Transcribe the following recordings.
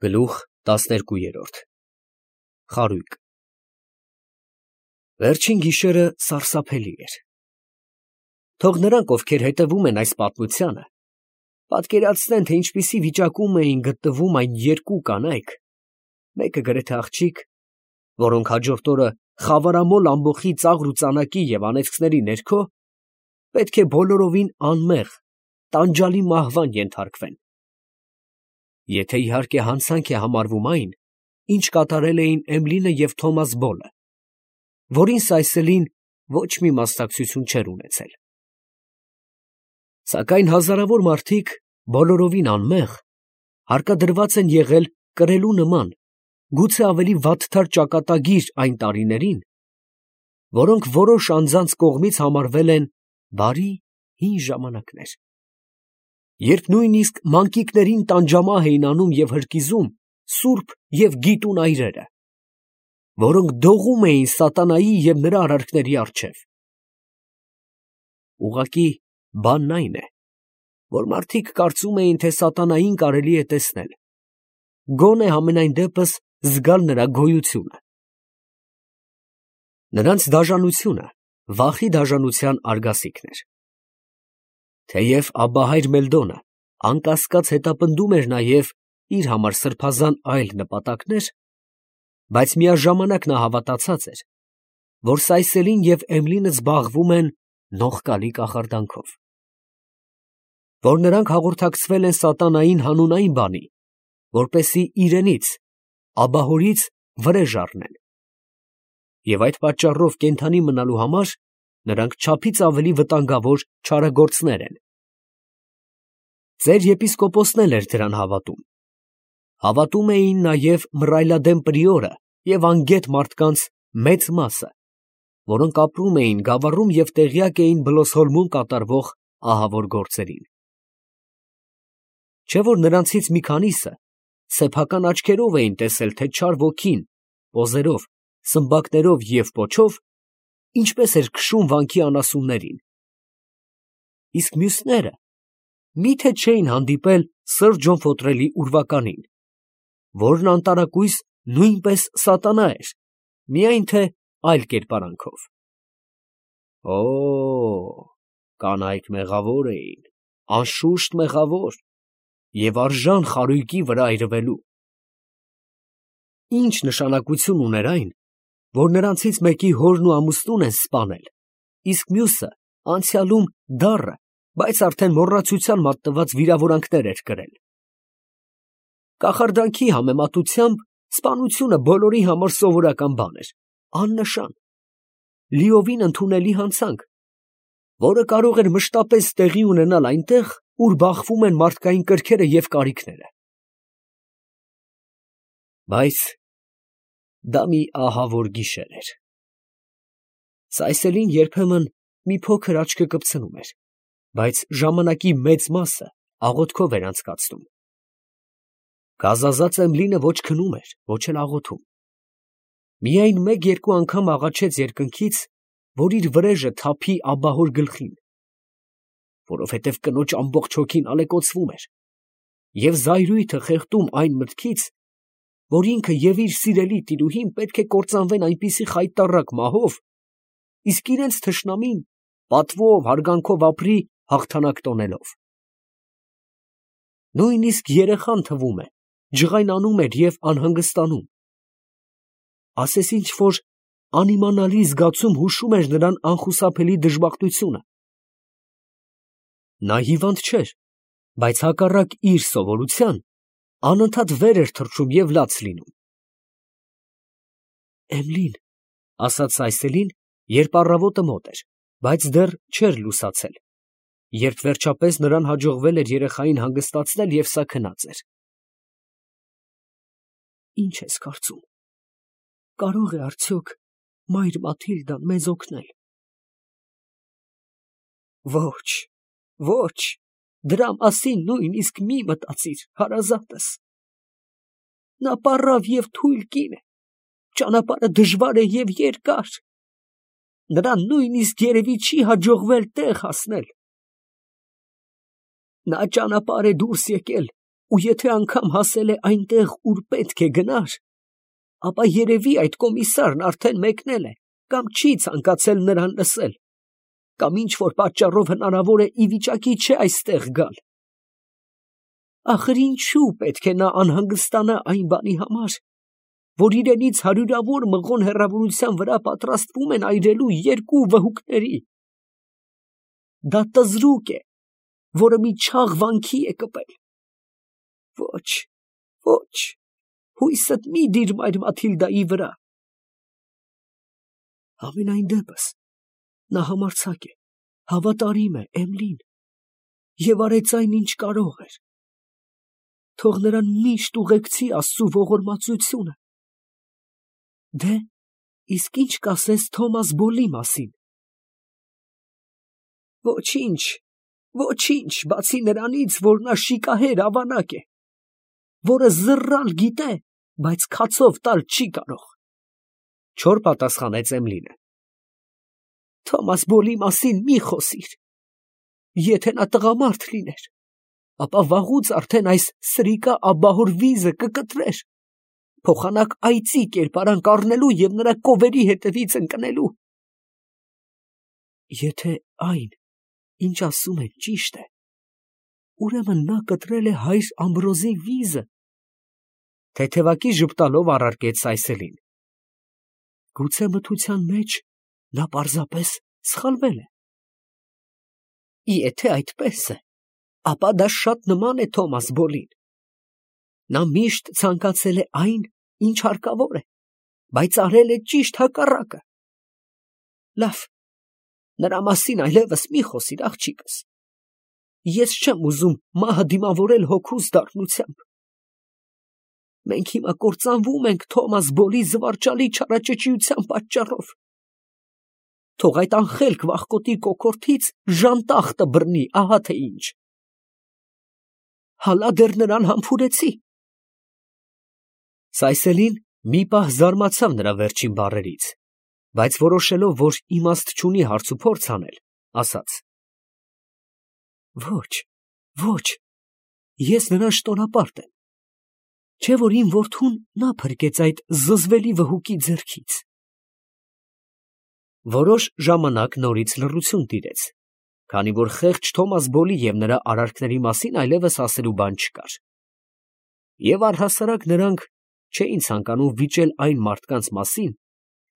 Գլուխ 12 Խարույկ Վերջին գիշերը սարսափելի էր։ Թող նրանք, ովքեր հետևում են այս պատմությանը, պատկերացնեն, թե ինչպիսի վիճակում էին գտնվում այն երկու կանայք, մեկը գրեթե աղջիկ, որոնք հաջորդ օրը խավարամոլ ամբոխի ծաղր ու ծանակի և անեծքների ներքո պետք է բոլորովին անմեղ, տանջալի մահվան ենթարկվեն, եթե իհարկե հանցանք է համարվում այն, ինչ կատարել էին Էմլինը և Թոմաս Բոլը, որին Սայսելին ոչ մի մասնակցություն չէր ունեցել։ Սակայն հազարավոր մարդիկ, բոլորովին անմեղ, հարկադրված են եղել կրելու նման, գուցե ավելի վատթար ճակատագիր այն տարիներին, որոնք որոշ անձանց կողմից համարվել են բարի հին ժամանակներ, երբ նույնիսկ մանկիկներին տանջամահ էին անում և հրկիզում սուրբ և գիտուն այրերը, որոնք դողում էին սատանայի և նրա արարքների առջև։ Ուղղակի բանն այն է, որ մարդիկ կարծում էին, թե սատանային կարելի է տեսնել, գոնե համենայն դեպս զգալ նրա գոյությունը։ Նրանց դաժանությունը վախի դաժանության արգասիքն էր։ Թեև Աբբահայր Մելդոնը անկասկած հետապնդում էր նաև իր համար սրբազան այլ նպատակներ, բայց միաժամանակ նա հավատացած էր, որ Սայսելին և Էմլինը զբաղվում են նողկալի կախարդանքով, որ նրանք հաղորդակցվել են սատանային հանունային բանի, որպեսզի իրենից, աբահորից վրեժ առնեն, և այդ պատճառով կենդանի մնալու համար նրանք չափից ավելի վտանգավոր չարագործներ են։ Ծեր եպիսկոպոսն էլ էր դրան հավատում։ Հավատում էին նաև մռայլադեմ պրիորը և անգետ մարդկանց մեծ մասը, որոնք ապրում էին գավառում և տեղյակ էին Բլոսհոլմում կատարվող ահավոր գործերին։ Չէ՞ որ նրանցից մի քանիսը սեփական աչքերով էին տեսել, թե չար ոգին պոզերով, սմբակներով և պոչով ինչպես էր քշում վանքի անասուններին, իսկ մյուսները մի՞թե չէին հանդիպել Սըր Ջոն Ֆոտրելի ուրվականին, որն անտարակույս նույնպես սատանա էր, միայն թե այլ կերպարանքով։ Օ՜, կանայք մեղավոր էին, անշուշտ մեղավոր և արժան խարույկի վրա այրվելու։ Ինչ նշանակություն ուներ այն, որ նրանցից մեկի հորն ու ամուսնուն են սպանել, իսկ մյուսը անցյալում դառը, բայց արդեն մոռացության մատնված վիրավորանքներ էր կրել։ Կախարդանքի համեմատությամբ սպանությունը բոլորի համար սովորական բան էր, աննշան, լիովին ընդունելի հանցանք, որը կարող էր մշտապես տեղի ունենալ այնտեղ, ուր բախվում են մարդկային կրքերը և կարիքները։ Բայց դա մի ահավոր գիշեր էր։ Սայսելին երբեմն մի փոքր աչքը կպցնում էր, բայց ժամանակի մեծ մասը աղոթքով էր անցկացնում։ Գազազած Էմլինը ոչ քնում էր, ոչ էլ աղոթում։ Միայն մեկ-երկու անգամ աղաչեց երկնքից, որ իր վրեժը թափի աբահոր գլխին, որովհետև կնոջ ամբողջ հոգին ալեկոծվում էր և զայրույթը խեղդում այն մտքից, որ ինքը և իր սիրելի տիրուհին պետք է կործանվեն այնպիսի խայտառակ մահով, իսկ իրենց թշնամին պատվով, հարգանքով ապրի հաղթանակ տոնելով։ Նույնիսկ երեխան, թվում է, ջղայնանում էր և անհանգստանում։ Ասես ինչ֊որ անիմանալի զգացում հուշում էր նրան անխուսափելի դժբախտությունը։ Նա հիվանդ չէր, բայց հակառակ իր սովորության, անընդհատ վեր էր թռչում և լաց լինում։ Էմլին, ֊ ասաց Սայսելին, երբ առավոտը մոտ էր, բայց դեռ չէր լուսացել, երբ վերջապես նրան հաջողվել էր երեխային հանգստացնել և սա քնած էր։ Ի՞նչ ես կարծում, կարող է արդյոք մայր Մաթիլդան մեզ օգնել։ Ոչ, ոչ, դրա մասին նույնիսկ մի մտածիր, հարազատս։ Նա պառավ և թույլ կին է, ճանապարհը դժվար է և երկար, նրան նույնիսկ երևի չի հաջողվել տեղ հասնել։ Նա ճանապարհ է դուրս եկել ու եթե անգամ հասել է այնտեղ, ուր պետք է գնար, ապա երևի այդ կոմիսարն արդեն մեկնել է, կամ չի ցանկացել նրան լսել, կամ ինչ որ պատճառով հնարավոր է ի վիճակի չէ այստեղ գալ։ Ախր ինչու պետք է նա անհանգստանա այն բանի համար, որ իրենից հարյուրավոր մղոն հեռավորության վրա պատրաստվում են այրելու երկու վհուկների։ Դա տզրուկ է, որը մի չաղ վանքի է կպել։ Ոչ, ոչ, հույսդ մի դիր Մաթիլդայի վրա։ Համենայն դեպս, նա համարձակ է, հավատարիմ է Էմիլին և արեց այն, ինչ կարող էր։ Թող նրան միշտ ուղեկցի Աստծու ողորմածությունը։ Դե, իսկ ինչ կասես Թոմաս Բոլի մասին։ Ոչինչ, ոչինչ, բացի նրանից, որ նա շիկահեր ավանակ է, որը զռռալ գիտե, բայց քացով տալ չի կարող, չոր պատասխանեց Էմիլին։ Թոմաս Բոլի մասին մի խոսիր։ Եթե նա տղամարդ լիներ, ապա վաղուց արդեն այս սրիկա աբահոր վիզը կկտրեր, փոխանակ այծի կերպարանք առնելու և նրա կովերի հետևից ընկնելու։ Եթե այն, ինչ ասում են, ճիշտ է, ուրեմն նա կտրել է հայր Ամբրոզի վիզը, թեթևակի ժպտալով առարկեց Սայսելին։ Գուցե մթության մեջ նա պարզապես սխալվել է։ Եթե այդպես է, ապա դա շատ նման է Թոմաս Բոլին։ Նա միշտ ցանկացել է այն, ինչ հարկավոր է, բայց արել է ճիշտ հակառակը։ Լավ, նրա մասին այլևս մի խոսիր, աղջիկս։ Ես չեմ ուզում մահը դիմավորել հոգուս դառնությամբ։ Մենք հիմա կործանվում ենք Թոմաս Բոլի զվարճալի չարաճճիության պատճառով։ Թող այդ անխելք վախկոտի կոկորդից ժանտախտը բռնի, ահա թե ինչ։ Հալա դեռ նրան համբուրեցի։ Սայսելին մի պահ զարմացավ նրա վերջին բառերից, բայց որոշելով, որ իմաստ չունի հարցուփորձ անել, ասաց. Ոչ, ոչ, ես նրան շտոնապարտ եմ, չէ որ իմ որդուն նա փրկեց այդ զզվելի վհուկի ձեռքից։ Որոշ ժամանակ նորից լռություն տիրեց, քանի որ խեղճ Թոմաս Բոլի և նրա արարքների մասին այլևս ասելու բան չկար։ Եվ առհասարակ նրանք չէին ցանկանում վիճել այն մարդկանց մասին,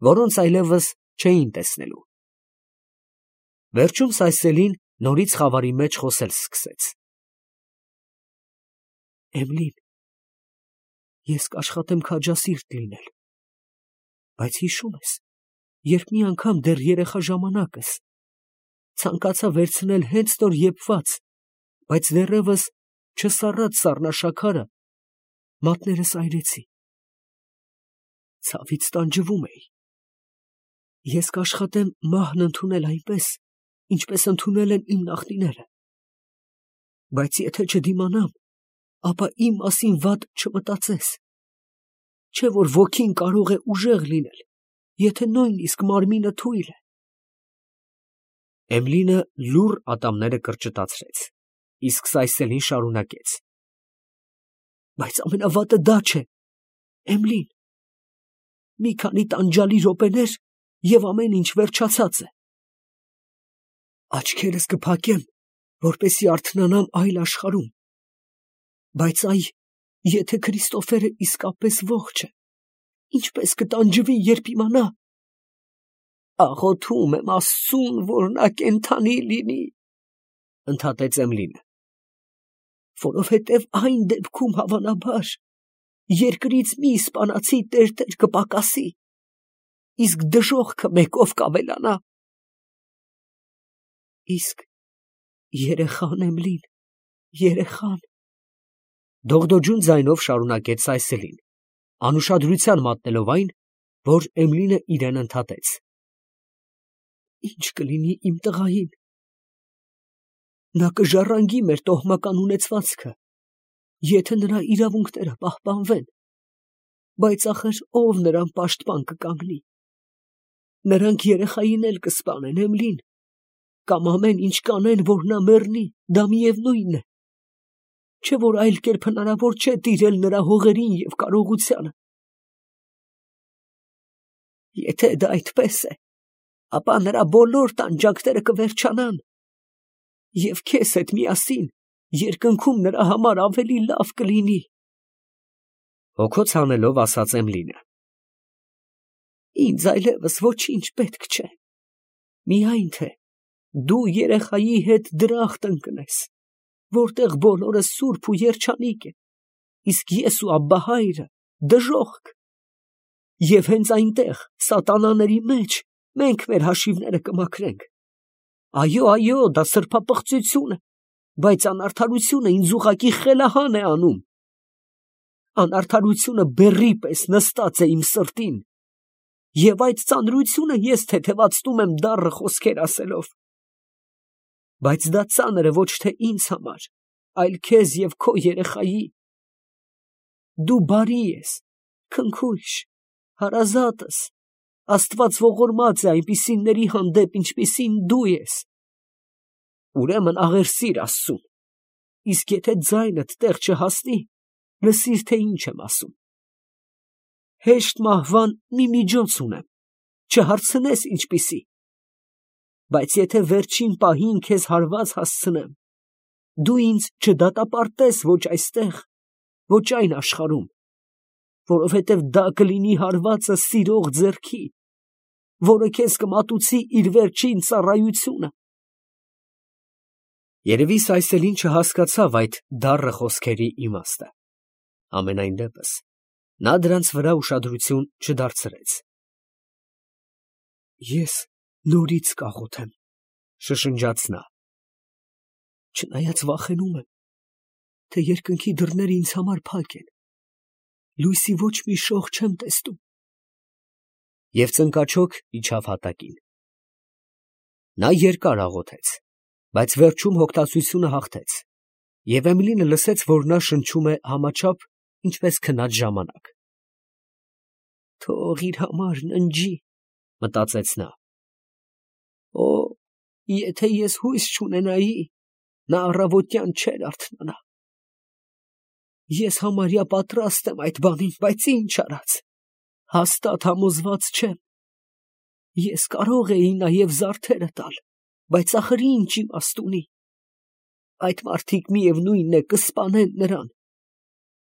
որոնց այլևս չէին տեսնելու։ Վերջում Սայսելին նորից խավարի մեջ խոսել սկսեց. Էմիլին, ես կաշխատեմ քաջասիրտ լինել, բայց հիշում ես, երբ մի անգամ դեռ երեխա ժամանակս ցանկացա վերցնել հենց նոր եփված, բայց դեռևս չսառած սառնաշաքարը, մատներս այրեցի։ Ցավից տանջվում էի։ Ես կաշխատեմ մահն ընդունել այնպես, ինչպես ընդունել են իմ նախնիները։ Բայց եթե չդիմանամ, ապա իմ մասին վատ չմտածես։ Չէ որ ոգին կարող է ուժեղ լինել, եթե նույնիսկ մարմինը թույլ է։ Էմիլինը լուռ ատամները կրճտացրեց, իսկ Սայսելին շարունակեց. Բայց ամենավատը դա չէ, Էմիլին։ Մի քանի տանջալի րոպեներ և ամեն ինչ վերջացած է։ Աչքերս կփակեմ, որպեսզի արթնանամ այլ աշխարհում, բայց այ, եթե Քրիստոֆերը իսկապես ողջ է, ինչպես կտանջվի, երբ իմանա։ Աղոթում եմ Աստծուն, որ նա կենդանի լինի, ընդհատեց Էմիլինը, որովհետև այն դեպքում հավանաբար երկրից մի իսպանացի տերտեր կպակասի, իսկ դժոխքը մեկով կավելանա։ Իսկ երեխան, Էմիլին, երեխան, դողդոջուն ձայնով շարունակեց Սայսելին, անուշադրության մատնելով այն, որ Էմիլինը իրեն ընդհատեց. Ինչ կլինի իմ տղային։ Նա կժառանգի մեր տոհմական ունեցվածքը, եթե նրա իրավունքները պահպանվեն, բայց ախր ով նրան պաշտպան կկանգնի։ Նրանք երեխային էլ կսպանեն, Էմիլին, կամ ամեն ինչ կանեն, որ նա մեռնի, դա միևնույն է։ չէ որ այլ կերպ հնարավոր չէ տիրել նրա հողերին և կարողությանը։ Եթե դա այդպես է, ապա նրա բոլոր տանջանքները կվերջանան, և քեզ հետ միասին երկնքում նրա համար ավելի լավ կլինի։ Հոգոց հանելով ասաց Էմլինը. Ինձ այլևս ոչինչ պետք չէ, միայն թե դու երեխայի հետ դրախտ ընկնես, որտեղ բոլորը սուրբ ու երջանիկ է, իսկ ես ու Աբբահայրը դժոխք, և հենց այնտեղ սատանաների մեջ մենք մեր հաշիվները կմաքրենք։ Այո, դա սրբապղծություն է, բայց անարդարությունը ինձ ուղղակի խելահան է անում։ Անարդարությունը բեռի պես նստած է իմ սրտին, և այդ ծանրությունը ես թեթևացնում եմ դառը խոսքեր ասելով։ Բայց դա ծանր է ոչ թե ինձ համար, այլ քեզ և քո երեխայի։ Դու բարի ես, քնքուշ, հարազատ ես, Աստված ողորմած է այնպիսիների հանդեպ, ինչպիսին դու ես։ Ուրեմն աղերսիր Աստծուն, իսկ եթե ձայնդ տեղ չհասնի, լսիր, թե ինչ եմ ասում։ Հեշտ մահվան մի միջոց ունեմ, չհարցնես ինչպիսի, բայց եթե վերջին պահին քեզ հարված հասցնեմ, դու ինձ չդատապարտես ոչ այստեղ, ոչ այն աշխարհում, որովհետև դա կլինի հարվածը սիրող ձեռքի, որը քեզ կմատուցի իր վերջին ծառայությունը։ Երևի Սայսելին չհասկացավ այդ դառը խոսքերի իմաստը։ Համենայն դեպս նա դրանց վրա ուշադրություն չդարձրեց։ Ես նորից կաղոթեմ, շշնջաց նա, չնայած վախենում եմ, թե երկնքի դռները ինձ համար փակ են, լույսի ոչ մի շող չեմ տեսնում։ Եվ ծնկաչոք իջավ հատակին։ Նա երկար աղոթեց, բայց վերջում հոգտացությունը հաղթեց, և Էմիլինը լսեց, որ նա շնչում է համաչափ, ինչպես քնած ժամանակ։ Թող իր համար ննջի, մտածեց նա։ Օ, եթե ես հույս չունենայի, նա առավոտյան չէր արթնանա։ Ես համարյա պատրաստ եմ այդ բանին, բայց ինչ արած, հաստատ համոզված չեմ։ Ես կարող էի նաև զարդերը տալ, բայց ախր ինչ իմաստ ունի։ Այդ մարդիկ միևնույն է կսպանեն նրան,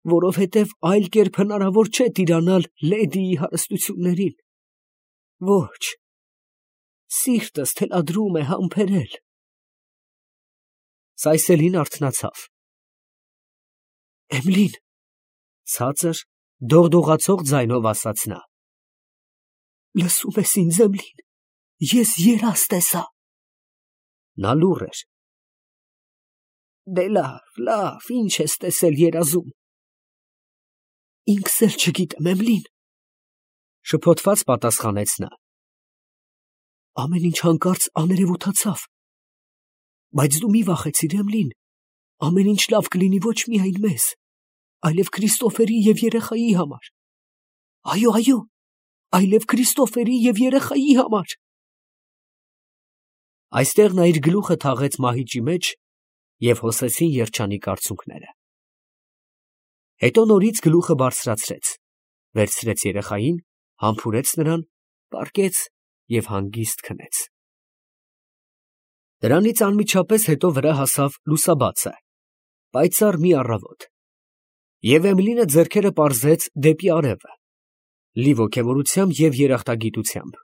որովհետև այլ կերպ հնարավոր չէ տիրանալ լեդիի հարստություններին։ Ոչ, սիրտս թելադրում է համբերել։ Սայսելին արթնացավ։ Էմլին, ցածր, դողդողացող ձայնով ասաց նա։ Լսում ես ինձ, Էմլին, ես երազ տեսա։ Նա լուռ էր։ Դե լավ, ինչ ես տեսել երազում։ Ինքս էլ չգիտեմ, Էմլին, շփոթված պատասխանեց նա։ Ամեն ինչ հանկարծ աներևութացավ։ Բայց դու մի վախեցիր, Էմլին, ամեն ինչ լավ կլինի ոչ միայն մեզ, այլև Քրիստոֆերի և երեխայի համար։ Այո, այլև Քրիստոֆերի և երեխայի համար։ Այստեղ նա իր գլուխը թաղեց մահիճի մեջ և հոսեցին երջանիկ արցունքները։ Հետո նորից գլուխը բարձրացրեց, վերցրեց երեխային, համբուրեց նրան, պառկեց և հանգիստ քնեց։ Դրանից անմիջապես հետո վրա հասավ լուսաբացը, պայծառ մի առավոտ, և Էմիլինը ձեռքերը պարզեց դեպի արևը, լի ոգևորությամբ և երախտագիտությամբ։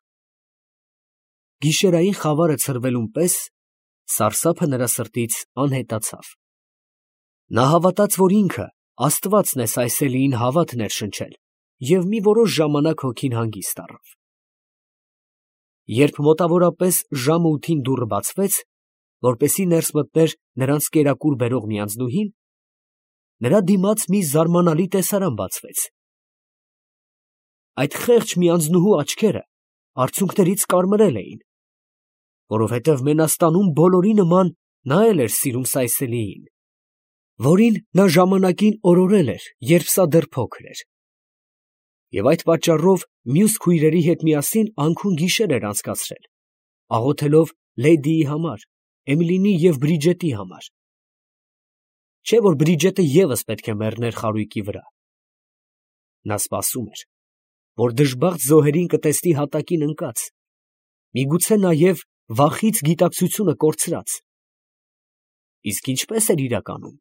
Գիշերային խավարը ցրվելուն պես սարսափը նրա սրտից անհետացավ։ Նա հավատաց, որ ինքը Աստվածն է Սայսելիին հավատ ներշնչել և մի որոշ ժամանակ հոգին հանգիստ առավ։ Երբ մոտավորապես ժամը 8-ին դուռը բացվեց, որպեսզի ներս մտներ նրանց կերակուր բերող մի անձնուհին, նրա դիմաց մի զարմանալի տեսարան բացվեց։ Այդ խեղճ մի անձնուհու աչքերը արցունքներից կարմրել էին, որովհետև Մենաստանում բոլորի նման նա էլ էր սիրում Սայսելիին, որին նա ժամանակին օրորել էր, երբ սա դեռ փոքր էր։ Եվ այդ պատճառով մյուս քույրերի հետ միասին անքուն գիշեր էր անցկացրել, աղոթելով լեդիի համար, Էմիլինի և Բրիջետի համար։ չէ՞ որ Բրիջետը ևս պետք է մեռներ խարույկի վրա։ Նա սպասում էր, որ դժբախտ զոհերին կտեսնի հատակին ընկած, միգուցե նաև վախից գիտակցությունը կորցրած։ Իսկ ինչպես էր իրականում։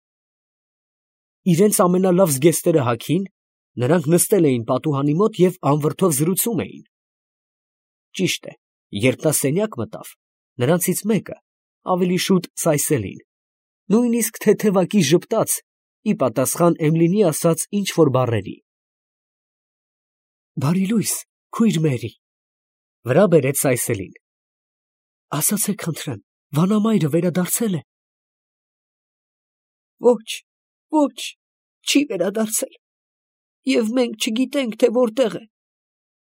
Իրենց ամենալավ զգեստերը հագին, նրանք նստել էին պատուհանի մոտ և անվրդով զրուցում էին։ Ճիշտ է, երբ նա սենյակ մտավ, նրանցից մեկը, ավելի շուտ Սայսելին, նույնիսկ թեթևակի ժպտաց, ի պատասխան Էմլինի ասած ինչ֊որ բառերի։ «Բարի լույս, քույր Մերի», վրա բերեց Սայսելին։ «Ասացեք խնդրեմ, վանամայրը վերադարձել է»։ «Ոչ, ոչ, չի վերադարձել, և մենք չգիտենք, թե որտեղ է.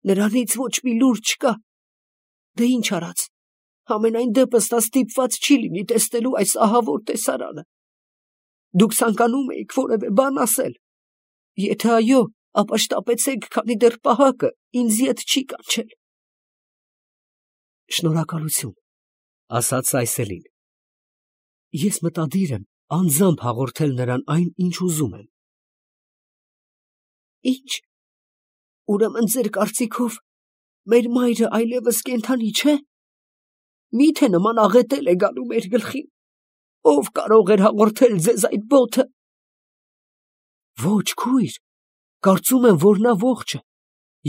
նրանից ոչ մի լուր չկա։ Դե ինչ արած, համենայն դեպս նա ստիպված չի լինի տեսնելու այս ահավոր տեսարանը։ Դուք ցանկանում էիք որևէ բան ասել. եթե այո, ապա շտապեցեք, քանի դեռ պահակը ինձ ետ չի կանչել»։ «Շնորհակալություն», ասաց Սայսելին։ «Ես մտադիր եմ անձամբ հաղորդել նրան այն, ինչ ուզում եմ»։ «Ի՞նչ, ուրեմն ձեր կարծիքով մեր մայրը այլևս կենդանի չէ։ Մի՞թե նման աղետել է գալու մեր գլխին, ով կարող էր հաղորդել ձեզ այդ բոթը»։ «Ոչ, քույր, կարծում եմ, որ նա ողջ է,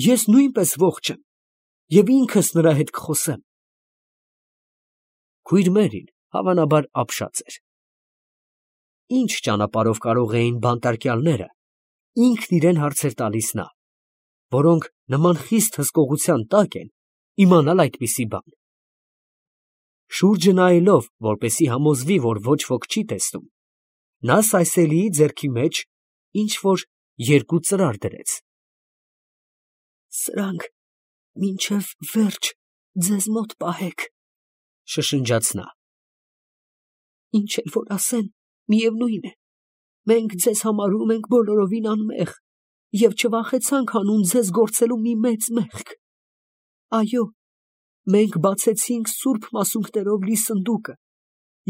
ես նույնպես ողջ եմ, և ինքս նրա հետ կխոսեմ»։ Քույր Մերին հավանաբար ապշած էր։ Ինչ ճանապարհով կարող էին բանտարկյալները, ինքն իրեն հարցեր տալիս նա, որոնք նման խիստ հսկողության տակ են, իմանալ այդպիսի բան։ Շուրջը նայելով, որպեսզի համոզվի, որ ոչ ոք չի տեսնում, նա Սայսելիի ձեռքի մեջ ինչ֊որ երկու ծրար դրեց։ «Սրանք մինչև վերջ ձեզ մոտ պահեք», շշնջաց նա։ «Ինչ էլ որ ասեն, միևնույն է, մենք ձեզ համարում ենք բոլորովին անմեղ և չվախեցանք հանուն ձեզ գործելու մի մեծ մեղք։ Այո, մենք բացեցինք սուրբ մասունքներով լի սնդուկը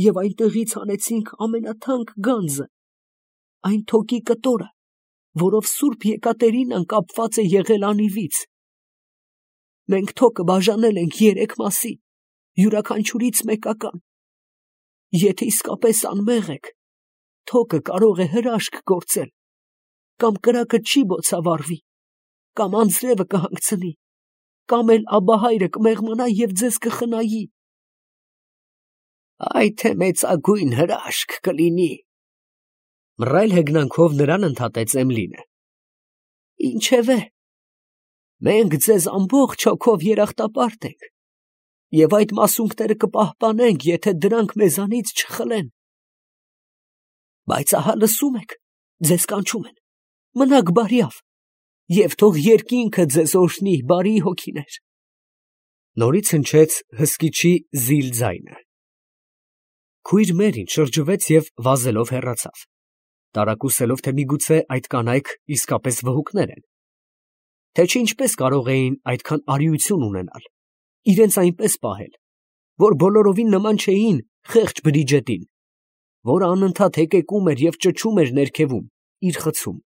և այնտեղից հանեցինք ամենաթանկ գանձը, այն թոկի կտորը, որով սուրբ Եկատերինան կապված է եղել անիվից։ Մենք թոկը բաժանել ենք 3 մասի, յուրաքանչյուրից մեկական։ Եթե իսկապես անմեղ եք, թոկը կարող է հրաշք գործել, կամ կրակը չի բոցավառվի, կամ անձրևը կհանգցնի, կամ էլ Աբբահայրը կմեղմանա և ձեզ կխնայի»։ «Այ թե մեծագույն հրաշք կլինի», մռայլ հեգնանքով նրան ընդհատեց Էմլինը։ «Ինչևէ, մենք ձեզ ամբողջ հոգով երախտապարտ ենք, և այդ մասունքները կպահպանենք, եթե դրանք մեզանից չխլեն։ Բայց ահա լսում եք, ձեզ կանչում են, մնաք բարյավ, և թող երկինքը ձեզ օրհնի, բարի հոգիներ»։ Նորից հնչեց հսկիչի զիլ ձայնը։ Քույր Մերին շրջվեց և վազելով հեռացավ, տարակուսելով, թե միգուցե այդ կանայք իսկապես վհուկներ են, թե չէ ինչպես կարող էին այդքան արիություն ունենալ, իրենց այնպես պահել, որ բոլորովին նման չէին խեղճ Բրիջետին, որը անընդհատ հեկեկում էր և ճչում էր ներքևում իր խցում։